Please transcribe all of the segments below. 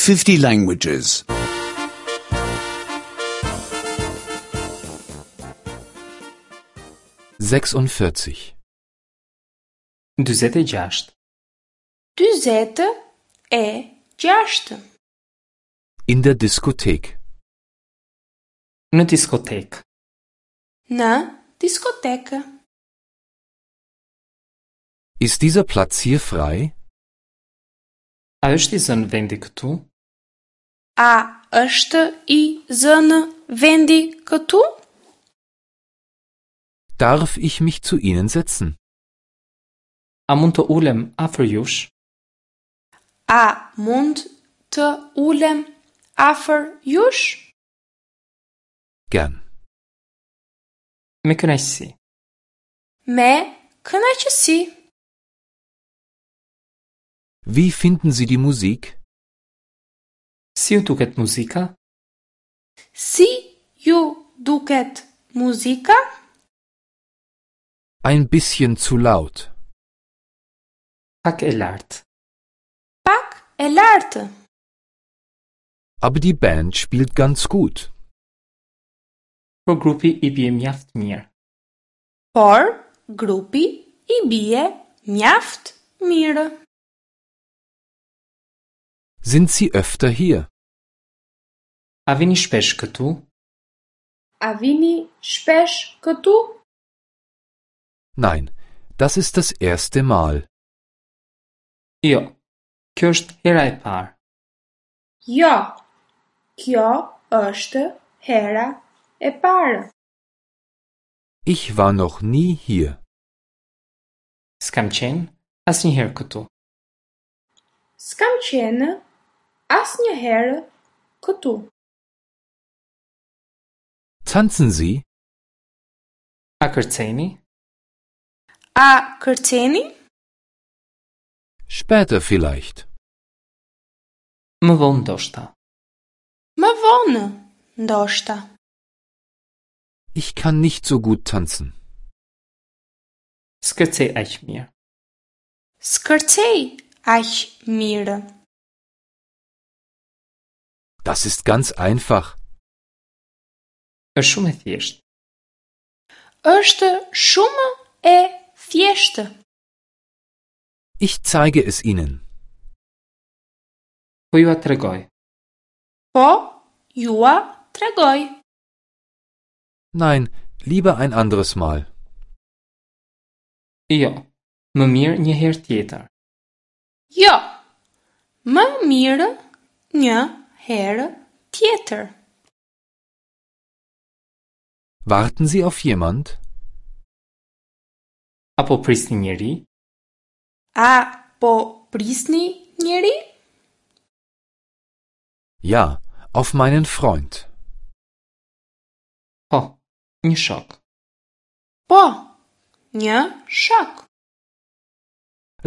50 languages. 46. 46. 46. In der Diskothek. Në diskotekë. Në diskotekë. Ist dieser Platz hier frei? A është i zënë vendi këtu? A është i zënë vendi këtu? Darf ich mich zu Ihnen setzen? A mund të ulem afër jush? A mund të ulem afër jush? Gern. Me kënaqësi. Me kënaqësi. Wie finden Sie die Musik? Si ju duket muzika? Si ju duket muzika? Ein bisschen zu laut. Pak e lartë. Pak e lartë. Aber die Band spielt ganz gut. Por grupi i bie mjaft mirë. Por grupi i bie mjaft mirë. Sind Sie öfter hier? A vini shpesh këtu? A vini shpesh këtu? Nein, das ist das erste Mal. Jo. Kjo është hera e parë. Jo. Kjo është hera e parë. Ich war noch nie hier. S'kam qenë asnjëherë këtu. S'kam qenë asnjëherë këtu. Tanzen Sie? A kërceni? A kërceni? Später vielleicht. Më vonë ndoshta. Më vonë, ndoshta. Ich kann nicht so gut tanzen. S'kërcej aq mirë. S'kërcej aq mirë. Das ist ganz einfach. Është shumë e thjeshtë. Është shumë e thjeshtë. Ich zeige es Ihnen. Po jua tregoj. Po jua tregoj. Nein, lieber ein anderes Mal. Jo. Më mirë një herë tjetër. Jo. Më mirë një herë tjetër. Warten Sie auf jemand? Apo prisni njeri? A po prisni njeri? Ja, auf meinen Freund. Po, një shok. Po, një shok.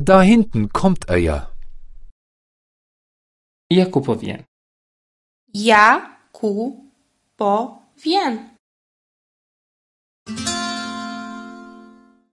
Da hinten kommt er ja. Ja ku po vjen. Ja ku po vjen.